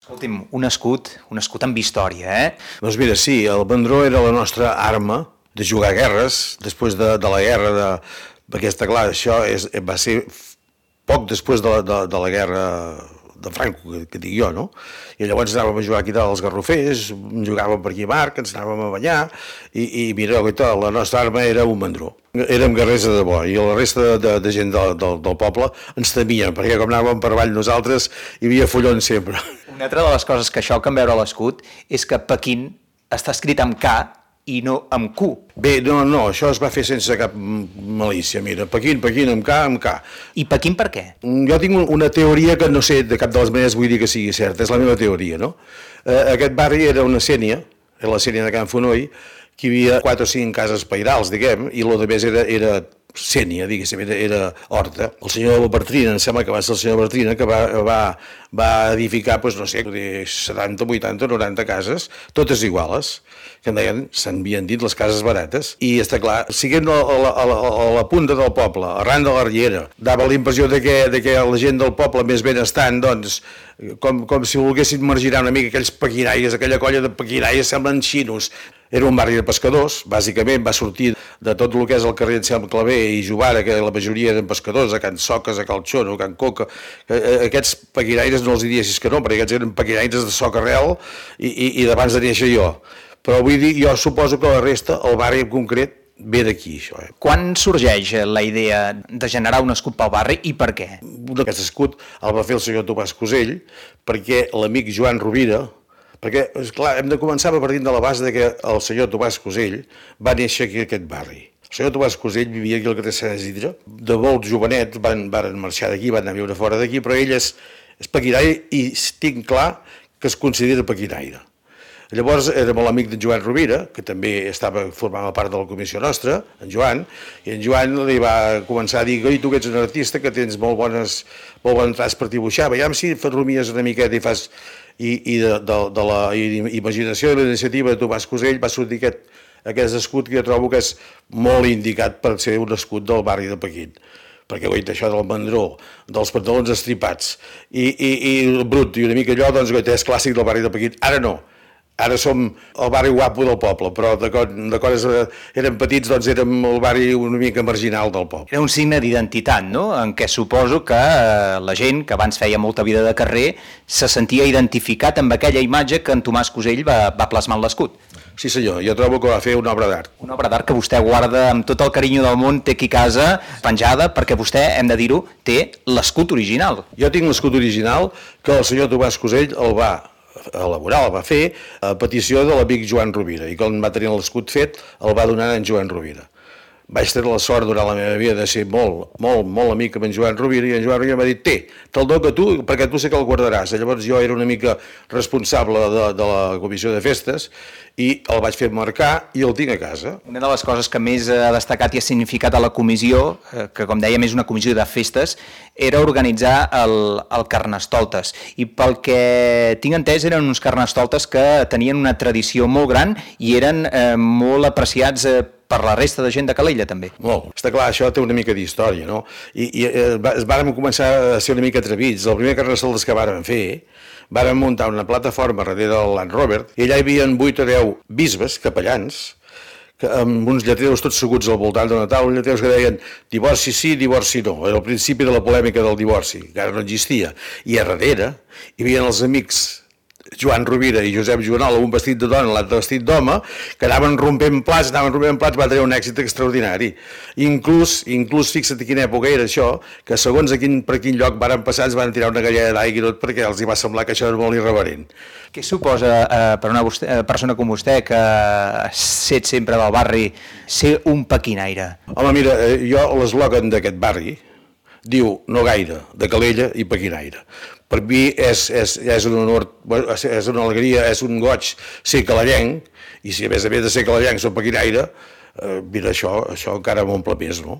Escolti'm, un escut amb història, Doncs mira, sí, el bandró era la nostra arma de jugar a guerres, després de la guerra, perquè està clar, va ser poc després de la guerra de Franco, que dic jo, no? I llavors anàvem a jugar aquí dalt als Garrofers, jugàvem per aquí a Marc, ens anàvem a banyar, i mira, la nostra arma era un bandró. Érem guerrers de debò, i la resta de gent del poble ens temien, perquè com anàvem per avall nosaltres, hi havia follons sempre. Una altra de les coses que xoquen veure l'escut és que Pequín està escrit amb K i no amb Q. Bé, no, això es va fer sense cap malícia, mira, Pequín, amb K. I Pequín per què? Jo tinc una teoria que no sé de cap de les maneres vull dir que sigui certa, és la meva teoria, no? Aquest barri era una sénia, era la sénia de Can Fonoll, que hi havia 4 o 5 cases pairals, diguem, i el més era sénia, diguéssim, era horta. El senyor Bartrina, em sembla que va ser el senyor Bartrina, que va edificar, doncs, no sé, 70, 80, 90 cases, totes iguales, que en deien, s'havien dit les cases barates, i està clar, siguent a la punta del poble, arran de la riera, dava la impressió de que la gent del poble més benestant, doncs, com si volguessin marginar una mica aquells paquiraires, aquella colla de paquiraires semblen xinos. Era un barri de pescadors, bàsicament va sortir de tot el que és el carrer Anselm Clavé i Jovara, que la majoria eren pescadors, a Can Soques, a Cal Xono, a Can Coca. Aquests paquiraires no els diries que no, perquè aquests eren paquiraires de soc arrel i d'abans de néixer jo. Però vull dir, jo suposo que la resta, el barri en concret, ve d'aquí, això. Quan sorgeix la idea de generar un escut pel barri i per què? Aquest escut el va fer el senyor Tomàs Cosell, perquè l'amic Joan Rovira, perquè, esclar, hem de començar partint de la base de que el senyor Tomàs Cosell va néixer aquí a aquest barri. El senyor Tomàs Cosell vivia aquí al carrer Sant Isidre. De molt jovenet van marxar d'aquí, van anar a viure fora d'aquí, però ell és paquiraire i tinc clar que es considera paquiraire. Llavors era molt amic d'en Joan Rovira, que també formava part de la comissió nostra, en Joan, i en Joan li va començar a dir: oi, tu que ets un artista, que tens molt bon traç per dibuixar, veiem si rumies una miqueta i fas... I de la imaginació i la iniciativa de Tomàs Cosell va sortir aquest escut que jo trobo que és molt indicat per ser un escut del barri de Pequín. Perquè goita, això del mandró, dels pantalons estripats i el brut i una mica allò, doncs goita, és clàssic del barri de Pequín. Ara no. Ara som el barri guapo del poble, però de quan érem petits doncs érem el barri una mica marginal del poble. Era un signe d'identitat, no?, en què suposo que la gent que abans feia molta vida de carrer se sentia identificat amb aquella imatge que en Tomàs Cosell va plasmar en l'escut. Sí senyor, jo trobo que va fer una obra d'art. Una obra d'art que vostè guarda amb tot el carinyo del món, té aquí a casa penjada, perquè vostè, hem de dir-ho, té l'escut original. Jo tinc l'escut original que el senyor Tomàs Cosell el va elaborar, el va fer a petició de l'amic Joan Rovira, i quan va tenir l'escut fet el va donar a en Joan Rovira. Vaig tenir la sort durant la meva vida de ser molt amic amb en Joan Rovira, i en Joan Rovira m'ha dit: te'l dono a tu, perquè tu sé que el guardaràs. Llavors jo era una mica responsable de la comissió de festes i el vaig fer marcar i el tinc a casa. Una de les coses que més ha destacat i ha significat a la comissió, que com dèiem és una comissió de festes, era organitzar el Carnestoltes. I pel que tinc entès eren uns Carnestoltes que tenien una tradició molt gran i eren molt apreciats per la resta de gent de Calella, també. Molt. Està clar, això té una mica d'història, no? I vàrem començar a ser una mica atrevits. El primer Carnestoltes que vàrem fer, vàrem muntar una plataforma darrere del Land Rover, i allà hi havia 8 o 10 bisbes, capellans, amb uns lletreus tots seguts al voltant d'una taula, lletreus que deien divorci sí, divorci no. Era el principi de la polèmica del divorci, que ara no existia. I a darrere hi havia els amics Joan Rovira i Josep Joanol, un vestit de dona, l'altre vestit d'home, que anaven rompent plats, va tenir un èxit extraordinari. Inclús fixa't quina època era això, que segons per quin lloc varen passar ens van tirar una galleda d'aigua i tot perquè els hi va semblar que això era molt irreverent. Què suposa per una persona com vostè, que ha set sempre del barri, ser un pequinaire? Home, mira, jo l'eslògan d'aquest barri diu no gaire, de Calella i pequinaire. Per mi és un honor, és una alegria, és un goig ser calellenc, i si a més de ser calellenc soc pequinaire, mira, això encara m'omple més, no?